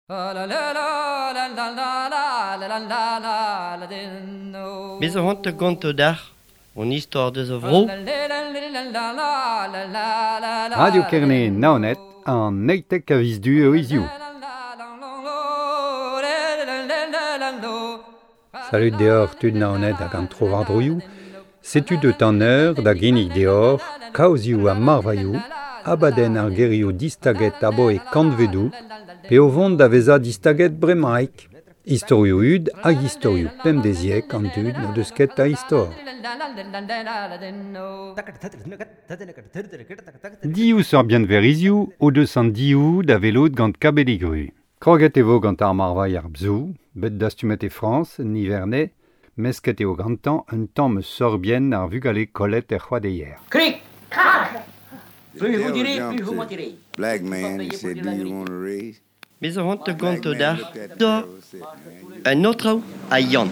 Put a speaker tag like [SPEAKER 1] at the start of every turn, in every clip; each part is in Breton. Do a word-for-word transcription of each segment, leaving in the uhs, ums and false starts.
[SPEAKER 1] Bez a hont gonto d'ar, on istor deus a vro.
[SPEAKER 2] Radio Kerne Naoned an eitek a viz du eo hiziv. Salut deoc'h tud Naoned hag an tro-war-droioù. Setu deut an eur da ginnig deoc'h, kaozioù ha marvailhoù, abadenn ar gerioù distaget aboe kantvedoù, pe o vont da vezañ distaget bremaik. Istorioù hud hag istorioù pemdeziek an dud n'o deus ket a istor. Div seurt bienverizioù o deus an div da welout gant Kabeligru. Kroget e vo gant ar marvailh ar bzou, bet dastumet e Frañs, Nivernais, mesket eo gantañ un tamm sorbienn ar vugale kollet er c'hoadeier.
[SPEAKER 3] Krik! Krak!
[SPEAKER 4] Plus vous direz, plus vous mentirez. Black man, he said, do you want a raise?
[SPEAKER 1] Bez a hont gonto d'ar, da, un autre a Yann.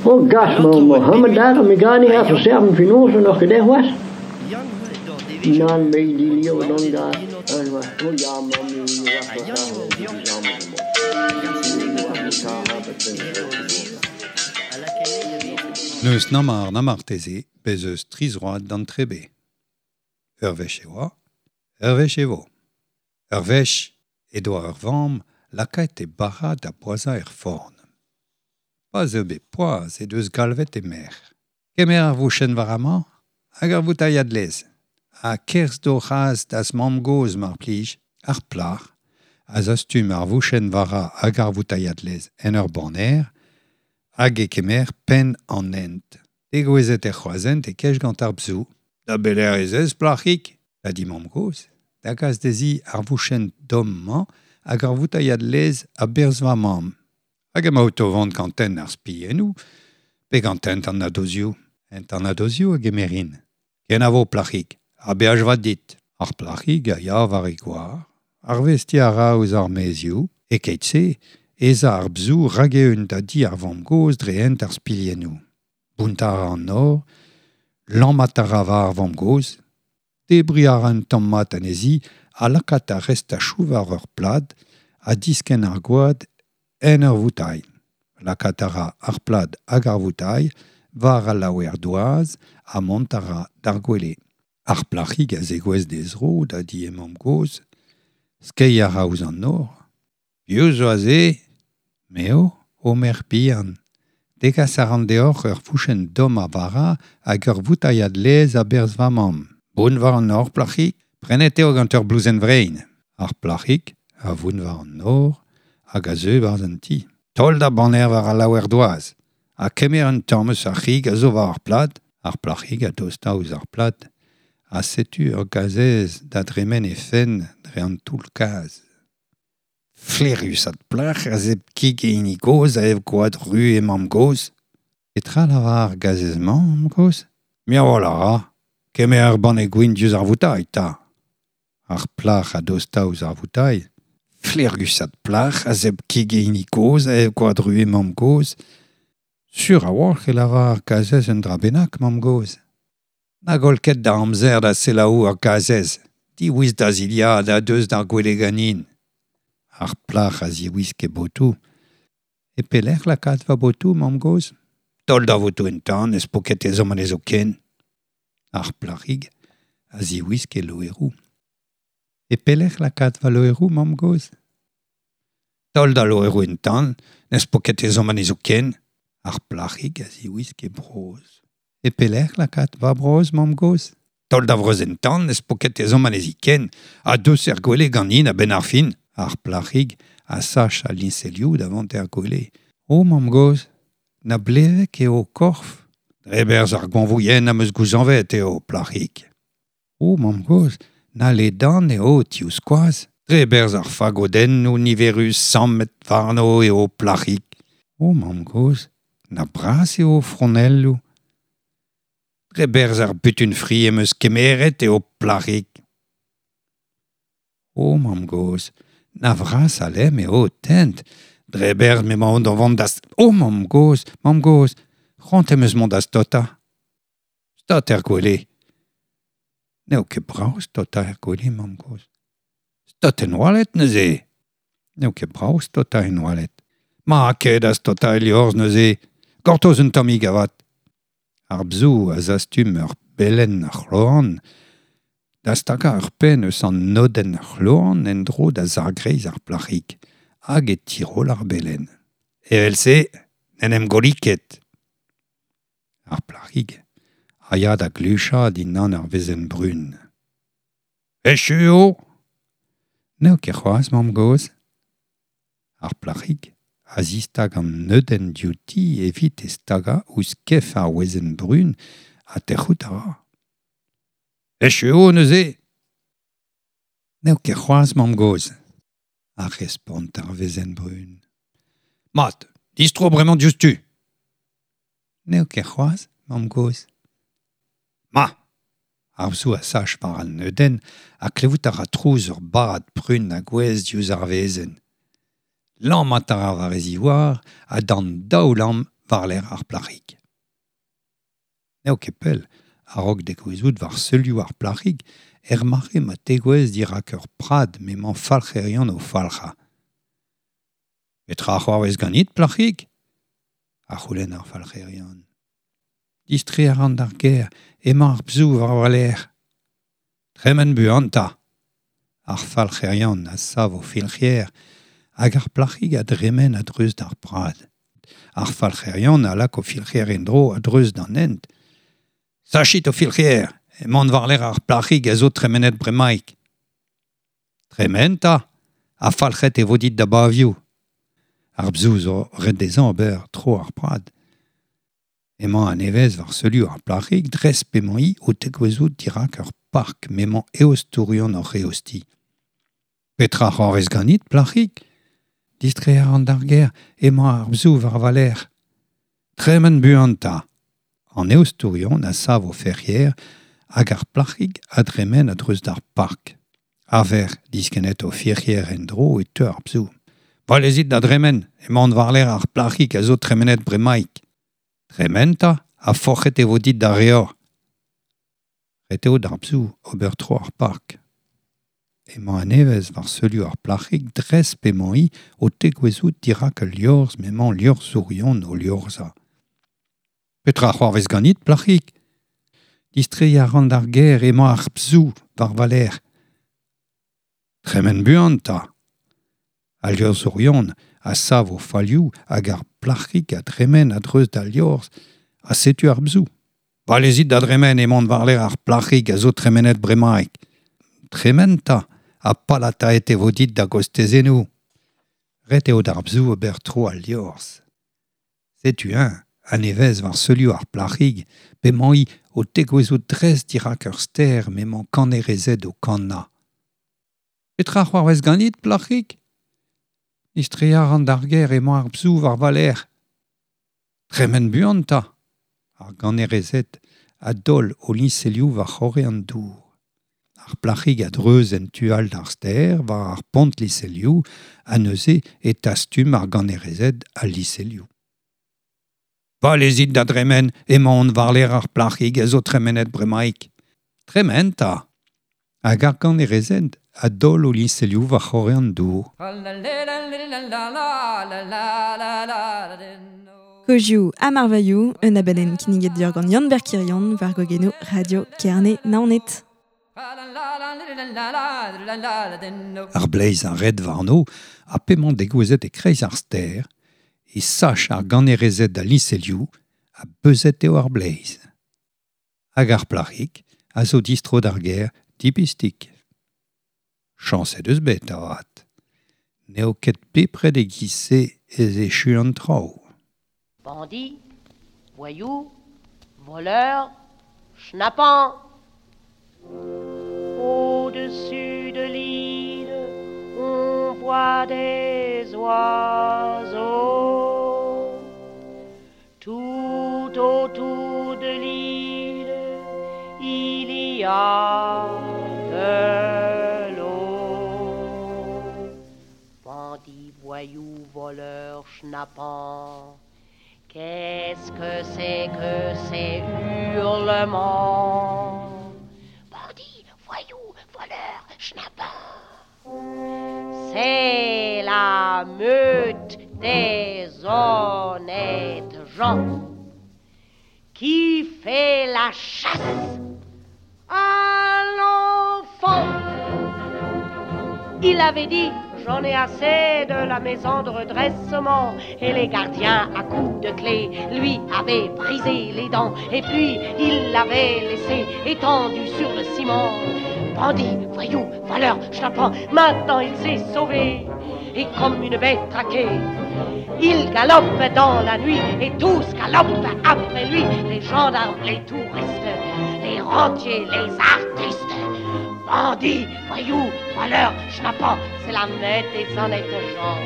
[SPEAKER 5] Oh gas, Mohammed daar, mi gar nicht auf serben Finanzen noch gedacht was? Nan me di lio non da. Oh ja, mamma
[SPEAKER 2] Neus namar namarteze bez eus tri zroad d'an trebe. Ur wech e oa, ur wech e vo. Ur wech e doa ur vamm lakaet e bara da boazañ er forn. Pa'z eo bet poazh e deus galvet e merc'h. Kemer ar vouchenn war amañ hag ar voutailhad laezh. Ha kerzh d'o c'has da'z mamm-gozh mar plij, ar plac'h, a zastum ar vouchenn vara hag ar voutailhad laezh en ur baner, hag e kemer penn an hent. Degouezhet er c'hroazhent e kej gant ar bzou. Da beler ez eus, plac'hig, da di mamm-gozh, da gas dezhi ar vouchenn domm-mañ hag ar voutailhad laezh a-berzh va mamm. Hag emaout o vont gant hent ar spiennoù, pe gant hent an nadozioù. Hent an nadozioù a gemerin. Kenavo, plac'hig, ha beaj vat dit. Ar plac'hig a ya war e goar, arvestiñ a ra ouzh ar maezioù, e keit-se, ez a ar bzou rag-eeun da di ar vamm-gozh dre hent ar spilhennoù. Bountañ a ra an nor, lammat a ra war ar vamm-gozh, debriñ a ra un tamm mat anezhi ha lakaat ar restachoù war ur plad ha diskenn ar gwad en ur voutailh. Lakaat a ra ar plad hag ar voutailh war al laouer doaz ha mont a ra d'ar gwele. Ar plac'hig a zegouezh d'he zro da di he mamm-gozh, skeiñ a ra ouzh an nor. Piv zo aze? Me eo, ho merc'h bihan. Degas a ran deoc'h ur vouchenn domm a vara hag ur voutailhad laezh a-berzh va mamm. Bount war an nor, plac'hig, prenet eo gant ur blouzenn vrein. Ar plac'hig a vount war an nor hag a zeu barzh an ti. Taol da banner war al laouer doaz. Ha kemer un tamm eus ar c'hig a zo war ar plad. Ar plac'hig a dosta ouzh ar plad. Ha setu ur gazez da dremen he fenn dre an toull-kaz. Flaerus at plac'h a zebr kig e hini gozh a ev gwad ru he mamm-gozh. Petra lavar ar gazez-mañ, mamm-gozh? Mirwal a ra. Kemer ur banne gwin diouzh ar voutailh, 'ta. Ar plac'h a dosta ouzh ar voutailh. Flaerus at plac'h a zebr kig e hini gozh a ev gwad ru he mamm-gozh. Sur a-walc'h e lavar ar gazez un dra bennak, mamm-gozh. Na goll ket da amzer da selaou ur gazez. Diwisk da zilhad ha deus d'ar gwele ganin. Ar plac'h a ziwisk e botoù. E pelec'h lakaat va botoù, mamm-gozh? Taol da votoù en tan, ez po ket ezhomm anezho ken. Ar plac'hig a ziwisk e loeroù. E pelec'h lakaat va loeroù, mamm-gozh? Taol da loeroù en tan, n'ez po ket ezhomm anezho ken. Ar plac'hig a ziwisk e brozh. E pelec'h lakaat va brozh, mamm-gozh? Taol da vrozh en tan, n'ez po ket ezhomm anezhi ken. Ha deus er gwele ganin a-benn ar fin. Ar plac'hig a sach al liñselioù da vont er gwele. O, mamm-gozh, na blevek eo ho korf? Dre berzh ar goañvouien am eus gouzañvet eo, plac'hig. O, mamm-gozh, na ledan eo ho tivskoaz? Dre berzh ar fagodennoù niverus sammet warno eo, plac'hig. O, mamm-gozh, na bras eo ho fronelloù? Dre berzh ar butun-fri em eus kemeret eo, plac'hig. O, mamm-gozh, na vras a lemm eo ho tent. Dre berzh m'emaon da vont da... O, mamm-gozh, mamm-gozh, c'hoant em eus mont da staotañ. Staot er gwele. N'eo ket brav staotañ er gwele, mamm-gozh. Staot en oaled neuze. N'eo ket brav stota en oaled. Ma ket a stota e liorzh neuze. Gortoz un tammig avat. Ar bzou a zastum ur belen c'hloan, da stagañ ur penn eus an nodenn c'hloan en-dro da zargreiz ar plac'hig, hag e tirol ar belen. Evel-se, n'en em golli ket. Ar plac'hig a ya da gluchañ dindan ar wezenn brun. Echu eo ! N'eo ket c'hoazh, mamm-gozh. Ar plac'hig a zistag an neudenn diouti evit e stagañ ouzh kef ar wezenn brun ha tec'hout a ra. Echu eo neuze ! N'eo ket c'hoazh, mamm-gozh, a respont ar wezenn brun. Mat, distro bremañ diouzhtu. N'eo ket c'hoazh, mamm-gozh. Ma ! Ar bzou a sach war an neudenn ha klevout a ra trouz ur barrad prun a gouez diouzh ar wezenn. Lammat a ra war e ziwar ha d'an daou lamm war-lerc'h ar plac'hig. N'eo ket pell, a-raok degouezhout war seulioù ar plac'hig, er mare ma tegouezh dirak ur prad m'emañ falc'herion o falc'hañ. Petra c'hoarvez ganit, plac'hig ? A c'houlenn ar falc'herion. Distreiñ a ran d'ar gêr, emañ ar bzou war va lerc'h. Tremen buan 'ta. Ar falc'herion a sav o filc'hier hag ar plac'hig a dremen a-dreuz d'ar prad. Ar falc'herion a lak o filc'hier en-dro a-dreuz d'an hent. Sachit o filc'hier, emañ war-lerc'h ar plac'hig a zo tremenet bremaik. Tremen 'ta, ha falc'het e vo dit da bavioù. Ar bzou zo ret dezhañ ober tro ar prad. Emañ a-nevez war seulioù ar plac'hig dres p'emañ-hi o tegouezhout dirak ur park m'emañ eostourion oc'h eostiñ. Petra c'hoarvez ganit, plac'hig ? Distreiñ a ran d'ar gêr, emañ ar bzou war va lerc'h. Tremen buan 'ta. An eostourion a sav o ferc'hier hag ar plac'hig a dremen a-dreuz d'ar park. A-vec'h diskennet o ferc'hier en-dro e teu ar bzou. Valezit da dremen, emañ war-lerc'h ar plac'hig a zo tremenet bremaik. Tremen 'ta, ha forc'het e vo dit da reor. Ret eo d'ar bzou ober tro ar park. Emañ a-nevez war seulioù ar plac'hig dres p'emañ-hi o tegouezhout dirak ul liorzh m'emañ liorzhourion o liorzhañ. Petra c'hoarvez ganit, plac'hig ? Distreiñ a ran d'ar gêr emañ ar bzou war va lerc'h. Tremen buan 'ta. Al liorzhourion a sav o falioù hag ar plac'hig a dremen a-dreuz d'al liorzh ha setu ar bzou. Valezit da dremen emañ war-lerc'h ar plac'hig a zo tremenet bremaik. Tremen 'ta, ha palataet e vo dit da gostezennoù. Ret eo d'ar bzou ober tro al liorzh. Setu eñ, a-nevez war seulioù ar plac'hig, p'emañ-hi o tegouezhout dres dirak ur stêr m'emañ kannerezed o kannañ. Petra c'hoarvez ganit, plac'hig ? Distreiñ a ran d'ar gêr emañ ar bzou war va lerc'h. Tremen buan 'ta. Ar gannerezed a daol o liñselioù war c'horre an dour. Ar plac'hig a-dreuz en tu all d'ar stêr war ar pont liñselioù ha neuze e tastum ar gannerezed al liñselioù. Valezit da dremen, emaon war-lerc'h ar plac'hig a zo tremenet bremaik. Tremen 'ta. Hag ar gannerezed a daol o liñselioù war c'horre an dour.
[SPEAKER 3] Kozioù ha marvailhoù, un abadenn kinniget deoc'h gant Yann Berkirion war gwagennoù Radio Kerne Naoned.
[SPEAKER 2] Ar bleiz a red warno ha p'emañ degouezhet e-kreiz ar stêr, e sach ar gannerezed al liñselioù ha beuzet eo ar bleiz. Hag ar plac'hig a zo distro d'ar gêr dipistik. Chañs he deus bet avat. N'eo ket bepred e-giz-se ez echu an traoù.
[SPEAKER 6] Bandit, voyou, voleur, schnappant. Au-dessus de l'île, on voit des oiseaux. Tout autour de l'île, il y a de l'eau. Bandit, voyou, voleur, schnappant, qu'est-ce que c'est que ces hurlements? Bandit, voyou, voleur, schnappant, c'est la la meute des honnêtes gens qui fait la chasse à l'enfant. Il avait dit, j'en ai assez de la maison de redressement. Et les gardiens, à coups de clé, lui avaient brisé les dents. Et puis, il l'avait laissé étendu sur le ciment. Bandit, voyou, voleur, schnappant, maintenant il s'est sauvé. Et comme une bête traquée, il galope dans la nuit et tous galopent après lui. Les gendarmes, les touristes, les rentiers, les artistes. Bandits, voyous, voleurs, schnappants, c'est la meute des honnêtes gens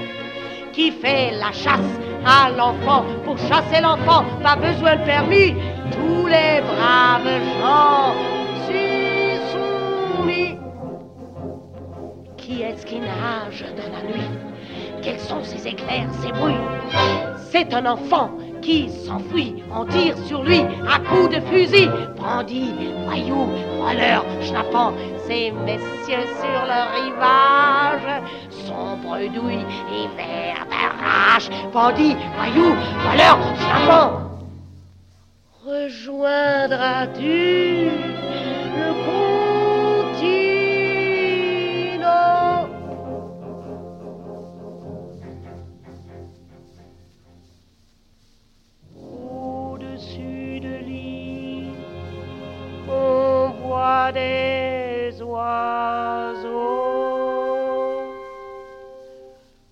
[SPEAKER 6] qui fait la chasse à l'enfant. Pour chasser l'enfant, pas besoin de permis. Tous les braves gens s'y sont mis. Qui est-ce qui nage dans la nuit? Quels sont ces éclairs, ces bruits? C'est un enfant qui s'enfuit, on tire sur lui à coups de fusil. Bandits, voyous, voleurs, schnappants, ces messieurs sur le rivage sont bredouilles et verts de rage. Bandits, voyous, voleurs, schnappants, rejoindras-tu le continent? Au-dessus de l'île, on voit des oiseaux.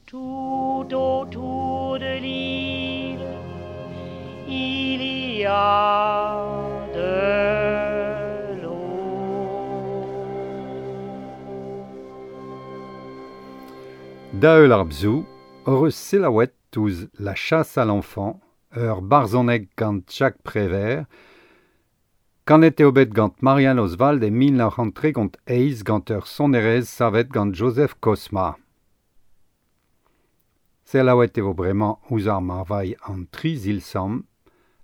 [SPEAKER 6] Tout autour de l'île, il y a de l'eau.
[SPEAKER 2] Da eul ar bzou, ur eus selaouet ouzh La chasse à l'enfant, ur barzhoneg gant Jacques Prévert, kanet eo bet gant Marianne Oswald e mil nav c'hant tregont eizh gant ur sonerezh savet gant Joseph Kosma. Selaouet e vo bremañ ouzh ar marvailh an tri zilsamm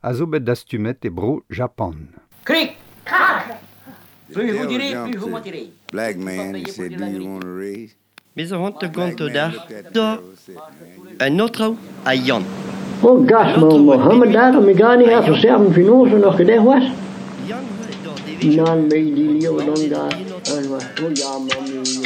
[SPEAKER 2] a zo bet dastumet e bro Japan.
[SPEAKER 6] Cric, crac.
[SPEAKER 4] The
[SPEAKER 6] Plus vous
[SPEAKER 4] devil
[SPEAKER 6] direz, plus
[SPEAKER 4] jumped
[SPEAKER 6] vous
[SPEAKER 4] to
[SPEAKER 6] mentirez.
[SPEAKER 4] Black man and said, do you want a raise?
[SPEAKER 1] Bez a hont
[SPEAKER 4] Black
[SPEAKER 1] gant
[SPEAKER 4] man
[SPEAKER 1] da
[SPEAKER 4] looked at the
[SPEAKER 1] da
[SPEAKER 4] devil and said, man, you
[SPEAKER 1] un autre a Yann.
[SPEAKER 5] Oh, gas, ma Mohammed daar, mi gani ha verserven finoze nog gedaan was. Nan me die leeuw dan daar. En was, oh ja, man, nu was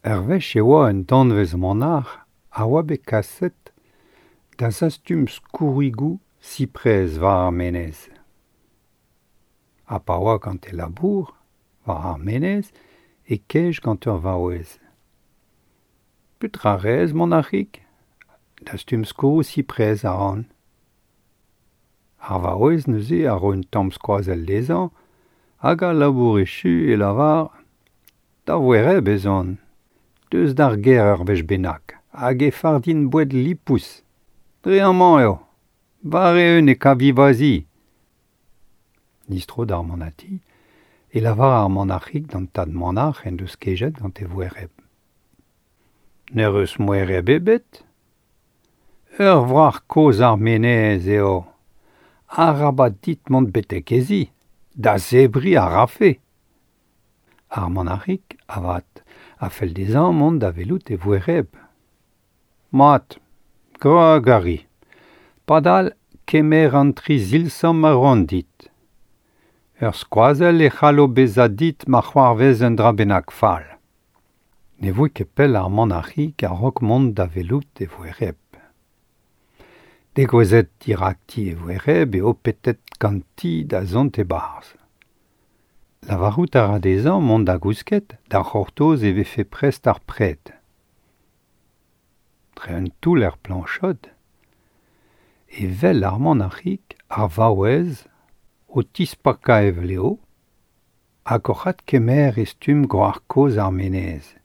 [SPEAKER 2] Ur wech e oa un danvez manac'h a oa bet kaset da zastum skourrigoù siprez war ar menez. Ha pa oa gant e labour war ar menez e kej gant ur vaouez. Petra rez, manac'hig? Dastum skourroù siprez a ran. Ar vaouez neuze a ro un tamm skoazell dezhañ hag a labour echu e lavar da voereb ez on. Deus d'ar gêr ur wech bennak, hag e fardin boued lipous. Dre amañ eo, war eeun e kavi va zi. Nistro d'ar manati, e lavar ar manac'hig d'an tad manac'h en deus kejet gant e voereb. N'er eus moereb ebet? Ur wrac'h kozh ar menez eo. Arabat dit mont betek e zi, da zebriñ a rafe. Ar manac'hig, avat, a fell dezhañ mont da welout e voereb. Mat, gra gari. Padal kemer an tri zilsamm a roan dit. Ur skoazell e c'hallo bezañ dit ma c'hoarvez un dra bennak fall. Ne voe ket pell ar manac'hig a-raok mont da welout e voereb. Degouezhet dirakti e voereb eo petet ganti da zont e-barzh. Lavarout a ra dezhañ mont da gousket, da c'hortoz e vefe prest ar pred. Dre un toull er plañchod, e wel ar manac'hig ar vaouez o tispakañ e vleo hag oc'h adkemer e stumm gwrac'h kozh ar menez.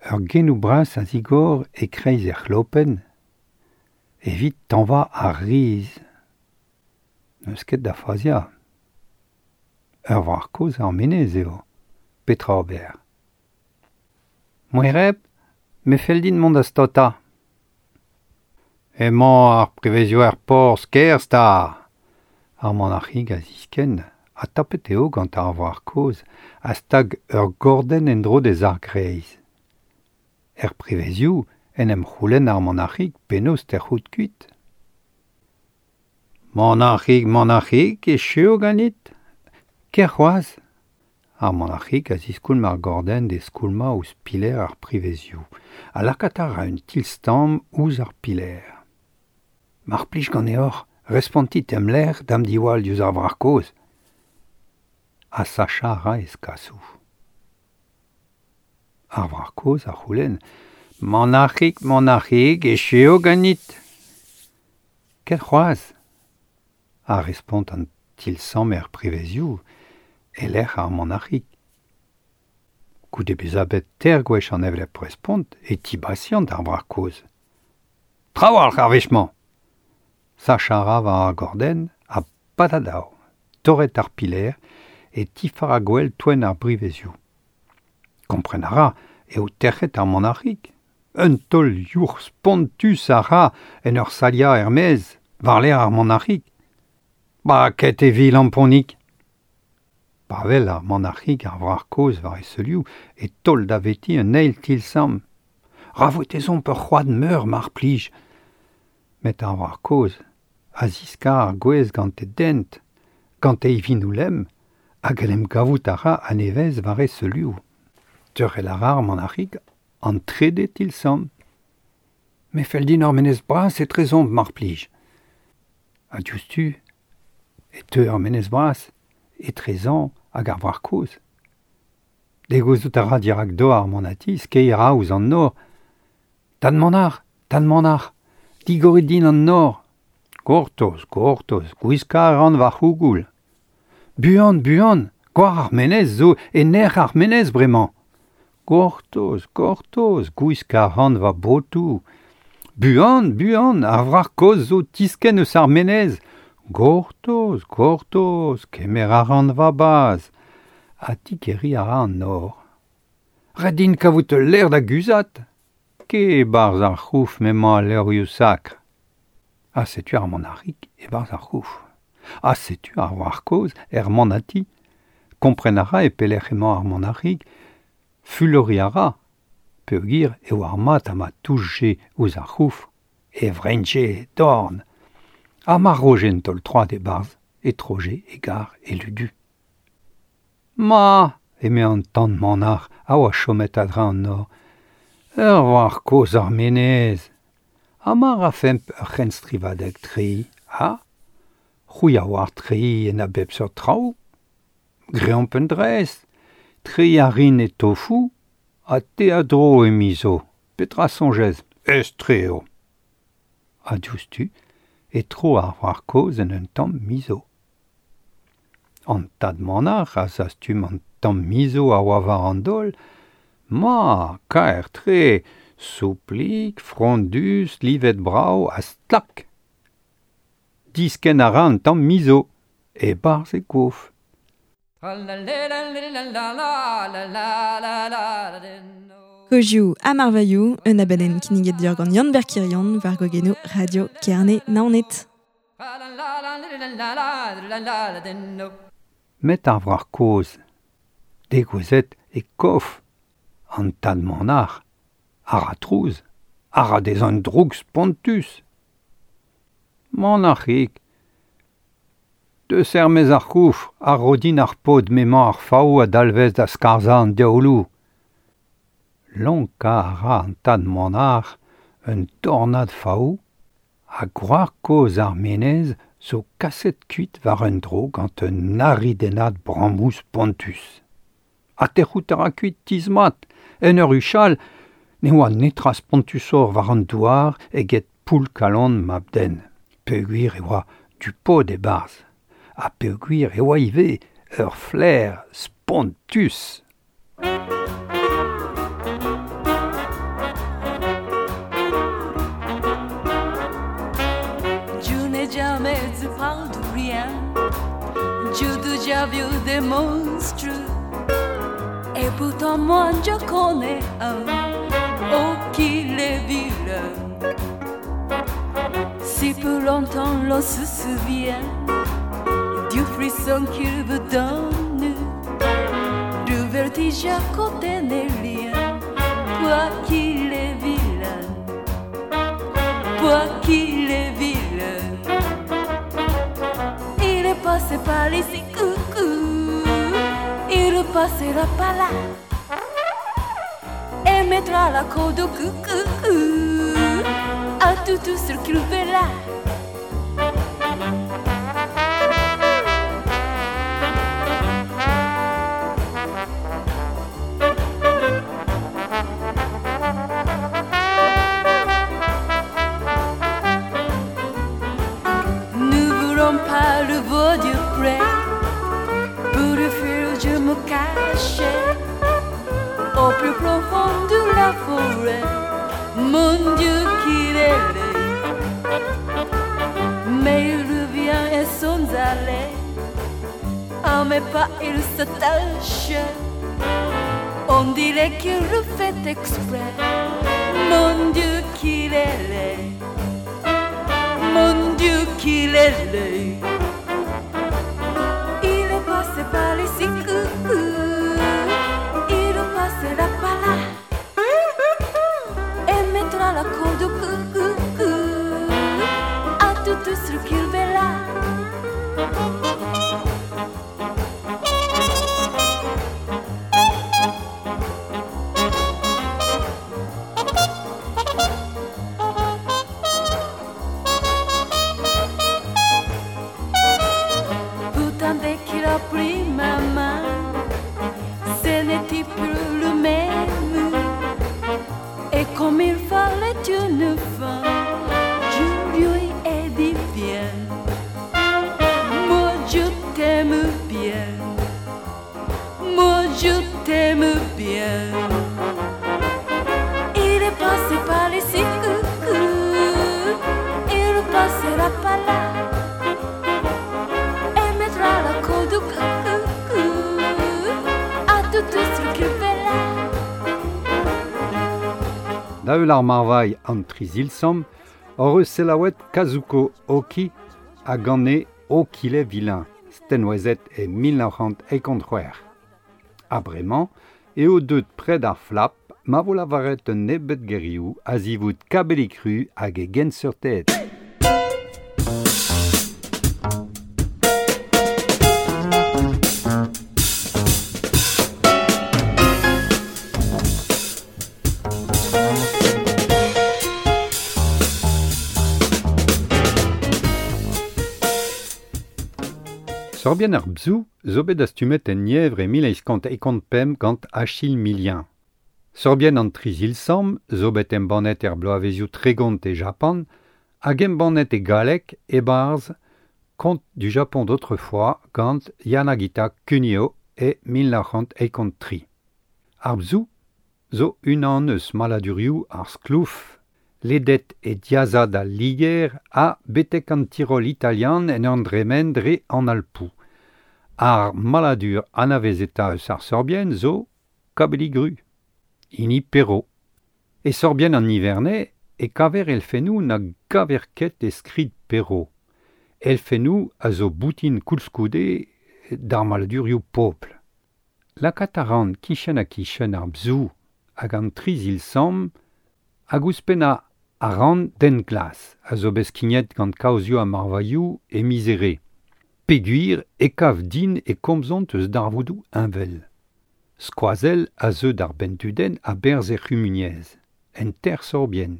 [SPEAKER 2] Ur genoù bras a zigor e-kreiz er c'hlopenn evit tañva ar riz. N'eus ket da faziañ. Ur wrac'h kozh ar menez eo. Petra ober? Moereb, me fell din mont da staotañ. Emañ ar prevezioù er porzh, kerzh 'ta! Ar manac'hig a ziskenn A tapet eo gant ar wrac'h kozh a stag ur gordenn en-dro d'e zargreiz. Er privezioù en em c'houlenn ar manac'hig penaos tec'hout kuit. Manac'hig, manac'hig, echu eo ganit. Ker c'hoazh. Ar manac'hig a ziskoulm ar gordenn d'e skoulmañ ouzh piler ar privezioù, ha lakaat a ra un tilstamm ouzh ar piler. Mar plij ganeoc'h, respontit em lec'h da'm diwall diouzh ar wrac'h kozh. Ha sachañ a ra e skasoù. Ar wrac'h kozh a c'houlenn Manac'hig, manac'hig, echu eo ganit. Ket c'hoazh. A respont an tilsamm er privezioù e lec'h ar manac'hig. Goude bezañ bet teir gwech an hevelep respont e tibasiant ar wrac'h kozh. Trawalc'h ar wech-mañ. Sachañ a ra war ar gordenn ha patadao, torret ar piler e tifar a gwell toenn ar brivezioù. Kompren a ra eo tec'het ar manac'hig. Un taol youc'h spontus a ra en ur saliañ er-maez war-lerc'h ar manac'hig. Baket e vi lamponig. Pa wel ar manac'hig ar wrac'h kozh war e seulioù e taol daveti un eil tilsamm. Ra vo tezomp ur c'hoad meur mar plij. Met ar wrac'h kozh a ziskar ar gwez gant e dent, gant e ivinoù lemm, hag en em gavout a ra a-nevez war e seulioù. Teurel a ra ar manac'hig an trede tilsamm. Me fell din ar menez bras etrezomp mar plij. Ha diouzhtu e teu ar menez bras etrezañ hag ar wrac'h kozh. Degouezhout a ra dirak dor ar manati, skeiñ a ra ouzh an nor. Tad manac'h, tad manac'h, digorit din an nor. Gortoz, gortoz, gwiskañ a ran va c'hougoul. Buan, buan, gwar ar menez zo e nec'h ar menez bremañ. Gortoz, gortoz, gwiskañ a ran va botoù. Buan, buan, ar wrac'h kozh zo tiskenn eus ar menez. Gortoz, gortoz, kemer a ran va bazh. Ha digeriñ a ra an nor. Ret din kavout ul lec'h da guzhat. Ket e-barzh ar c'houf m'emañ al levrioù sakr. Ha setu ar manac'hig e-barzh ar c'houf. Ha setu ar wrac'h kozh er manati. Kompren a ra e pelec'h emañ ar manac'hig. Fuloriñ a ra. Peogwir eo ar mat ha ma touchje ouzh ar c'houf. E vreinje e dorn. Ha ma roje un taol troad e-barzh, e troje e gar e ludu. Ma, eme an tan manac'h a oa chomet a-dreñv an nor. Ur wrac'h kozh ar menez. Ha ma rafemp ur c'henstrivadeg treiñ, ha? C'hwi a oar treiñ en a bep seurt traoù. Greomp un dres. Treiñ a rin e tofu, ha te a dro e mizo. Petra soñjez? Aes-tre eo. Ha diouzhtu e tro ar wrac'h kozh en un tamm mizo. An tad manac'h a zastum an tamm mizo a oa war an daol. Ma, kaer-tre, souplik, frondus, livet brav ha stlak. Diskenn a ra an tamm mizo, e-barzh e gof.
[SPEAKER 3] Kozioù ha marvailhoù, un abadenn kinniget deoc'h gant Yann-Ber Kirion war gwagennoù Radio Kerne Naoned.
[SPEAKER 2] Met ar wrac'h kozh, degouezhet e kof, an tad manac'h, a ra trouz, a ra dezhañ droug spontus. Manac'hig, deus er-maez ar c'houf a ro din ar pod m'emañ ar fav a dalvez da skarzhañ an diaouloù. Lonkañ a ra an tad manac'h un tornad fav ha gwrac'h kozh ar menez zo kaset kuit war un dro gant un aridennad brammoù spontus. Ha tec'hout a ra kuit tizh-mat, en ur huchal, ne oa netra spontusoc'h war an douar eget poull-kalon mab-den. Peogwir e oa du pod e-barzh, ha peogwir e oa ivez ur flaer spontus.
[SPEAKER 7] Je n'ai jamais parlé de rien. J'ai déjà vu des monstres. Et pourtant moi je connais un. Oh qu'il est vilain. Si pour longtemps l'on se souvient Du frisson qu'il vous donne, du vertige à côté n'est rien. Quoi qu'il est vilain, quoi qu'il est vilain, il est passé par ici, coucou, il passera par là et mettra la corde au coucou à tout, tout ce qu'il verra. Nous voulons pas le voir du près, pour le fuir je me cachais au plus profond de la forêt. Mon Dieu qu'il est laid, mais il revient et sans aller, à mes pas il s'attache. On dirait qu'il le fait exprès. Mon Dieu qu'il est laid, mon Dieu qu'il est laid. Il est passé par ici, coucou, il passera par là et mettra la corde au coucou à tout ce qu'il verra. Pourtant dès qu'il a pris ma main, ce n'était plus le même. Et comme il fallait une fin, je lui ai dit viens, moi je t'aime bien, moi je t'aime bien. Il est passé par ici, coucou, il passera par là et mettra la corde au coucou à tout ce qu'il verra.
[SPEAKER 2] Da eul ar marvailh an trizilsam, hor eus selaouet Kazuko Oki a gane Okile Vilain, stenwezet e mil nav c'hant eikont c'hwec'h. Ha bremañ eo deut pred ar flap ma vo lavaret un nebeud gerioù a zivout kabelikru hag e genseurted. Sorbien ar bzou zo bet astumet en nievre e mil eizh kant eikont pemp gant Achille Millien. Sorbien an trizilsam zo bet embannet er bloavezioù tregont e Japan hag embannet e galleg e barz Contes du Japon d'autrefois gant Yanagita Kunio e mil nav c'hant eikont tri. Ar bzou zo unan eus maladurioù ar sklouf ledet e diazad al Liger a betek an Tirol italian en an dremen dre an Alpoù. Ar maladur anavezeta eus ar sorbien zo kabeligru, hini Perrault. E sorbien an Nivernais e kaver elfennoù na gaver ket e skrid Perrault. Elfennoù a zo boutin koulskoude d'ar maladurioù pobl. Lakaat a ran kichen ha kichen ar bzou hag an trizilsam hag ouzhpenn a a ran den glas, a zo bet skignet gant kaozioù ha marvailhoù e mizere. Peogwir e kav din e komzont eus darvoudoù heñvel. Skoazell a zeu d'ar bentudenn a berzh er c'humuniezh, en ter sorbien.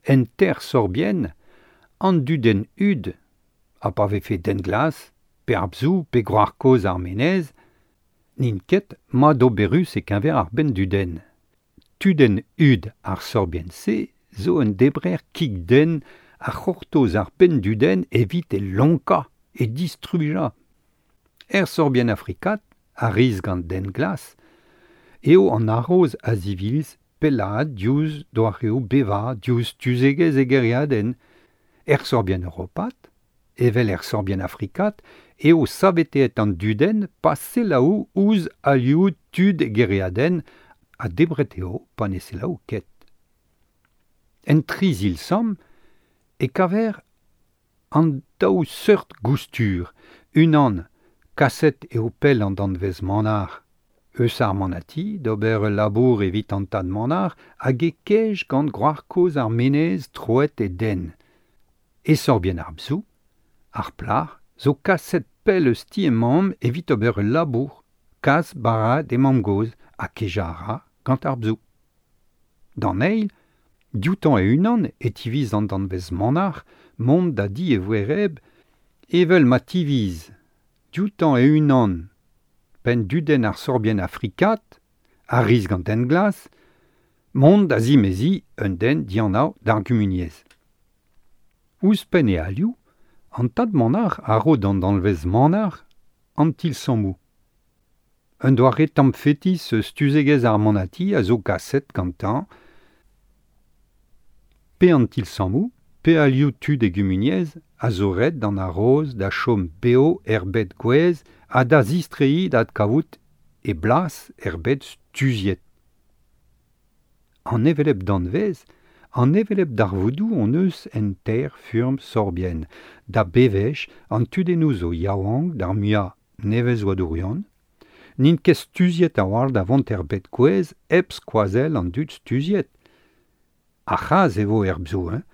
[SPEAKER 2] En ter sorbien, an dudenn ud, ha pa vefe den glas, pe ar bzou pe groar kozh ar menez, n'int ket madoberus e keñver ar bendudenn. Tudenn ud ar sorbien-se zo un debrer kig-den a c'hortoz ar bendudenn evit e lonkañ e distrujañ. Er sorbien afrikat, a riz gant den glas, eo an aroz a zivilz pellaat diouzh doareoù bevañ diouzh tuzegezh e gêriadenn. Er sorbien europat, evel er sorbien afrikat, eo saveteet an dudenn pa selaou ouzh alioù tud e gêriadenn ha debret eo pa ne selaou ket. En trizilsam e kaver an daou seurt goustur, Unan, kaset eo pell an danvez manac'h. Eus ar manati, d'ober ul labour evit an tad manac'h hag e kej gant gwrac'h kozh ar menez troet e den. E sorbien ar bzou, ar plac'h, zo kaset pell eus ti e mamm evit ober ul labour, kas bara d'e mamm gozh ha kejañ a ra gant ar bzou. D'an eil, dioutañ e-unan e tiviz an danvez manac'h mont da di e voereb evel ma tiviz dioutañ e-unan penn dudenn ar sorbien afrikat, ar riz gant den glas, mont da zimezi un den dianav d'ar gumuniezh. Ouzhpenn e alioù, an tad manac'h a ro d'an danvez manac'h an tilsammoù. Un doare tamm fetis eus stuzegezh ar manati a zo kaset gantañ pe an tilsammoù, pe alioù tud e gumuniezh a zo ret d'an aroz da chom bev er bed gouez ha da zistreiñ da adkavout e blas er bed stuziet. An hevelep danvez, an hevelep darvoudoù hon eus en teir furm sorbien, da bevech an tudennoù zo yaouank d'ar muiañ nevez-oadourion, n'int ket stuziet a-walc'h da vont er bed gouez hep skoazell an dud stuziet. Ar c'hazh e vo er bzou, hein,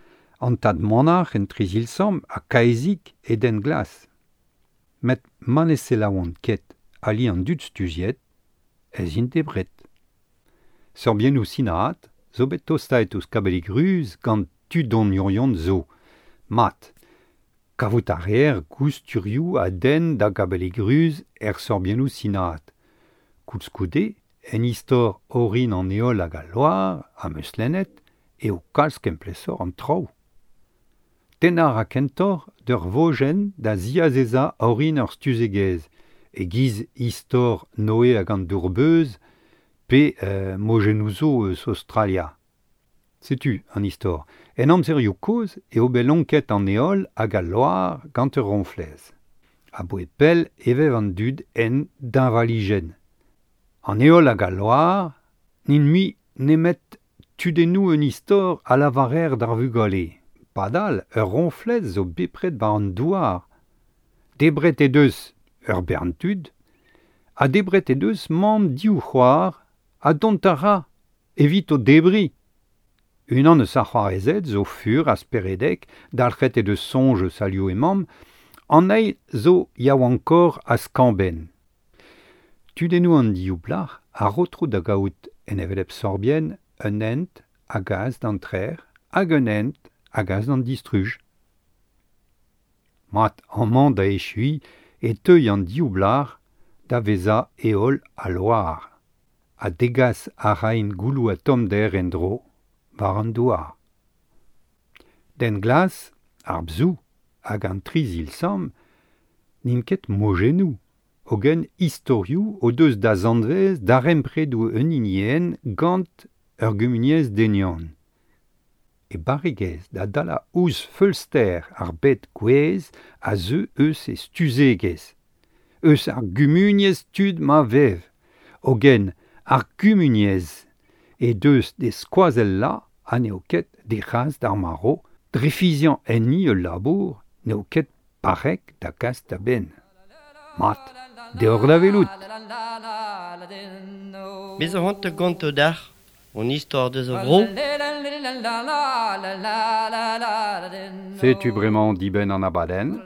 [SPEAKER 2] an tad manac'h en trizilsamm ha kaezik e den glas. Met ma ne selaouont ket ali an dud stuziet, ez int debret. Sorbiennoù sinaat zo bet tostaet ouzh kabellig ruz gant tudoniourion zo. Mat, kavout a reer gousturioù a denn da gabellig ruz er sorbiennoù sinaat. Koulskoude, en istor orin an heol hag al loar, am eus lennet, eo kalz kemplesoc'h an traoù. Tennañ a ra kentoc'h d'ur vojenn da ziazezañ orin ur stuzegezh, e-giz istor Noe hag an dour-beuz pe euh, mojennoù zo eus Australia. Setu an istor. En amzerioù kozh eo bet lonket an heol hag al loar gant ur roñflez. A-bouez pell e vev an dud en deñvalijenn. An heol hag al loar n'int mui nemet tudennoù un istor a lavarer d'ar vugale. Padal, ur roñflez zo bepred war an douar. Debret he deus ur bern tud, ha debret he deus mamm div c'hoar ha dont a ra evit o debriñ. Unan eus ar c'hoarezed zo fur ha speredek, dalc'het he deus soñj eus alioù he mamm, an eil zo yaouankoc'h ha skañv-benn. Tudennoù an div plac'h a ro tro da gaout en hevelep sorbien un hent a gas d'an trec'h hag un hent a gas d'an distruj. Mat, amañ da echuiñ e teuy an div blac'h da vezañ heol ha loar, ha degas a raint gouloù ha tommder en-dro war an douar. Den glas, ar bzou hag an trizilsamm n'int ket mojennoù, hogen istorioù o deus da zanvez darempredoù un hinienn gant ur gumuniezh denion. E barregezh da dalañ ouzh feulster ar bed gouez a zeu eus e stuzegezh, eus ar gumuniezh tud ma vev, hogen ar gumuniezh e deus d'e skoazellañ ha n'eo ket d'he c'has d'ar marv, dre fiziañ enni ul labour n'eo ket barrek da gas da benn. Mat, deoc'h da welout.
[SPEAKER 1] Bez a c'hoant gonto dac'h, on istor deus a vro.
[SPEAKER 2] Setu bremañ dibenn an abadenn,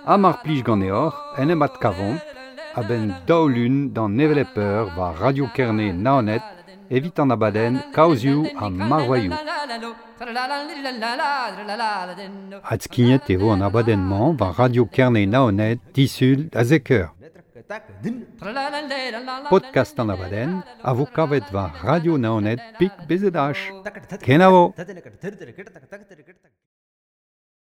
[SPEAKER 2] ha mar plij ganeoc'h en em adkavomp a-benn daou lun d'an hevelep eur war Radio Kerne Naoned evit an abadenn Kaozioù ha Marvailhoù. Adskignet e vo an abadenn-mañ war Radio Kerne Naoned disul da zek eur. Podcast an abadenn a vo kavet war Radio Naoned pik B Z H. Kenavo!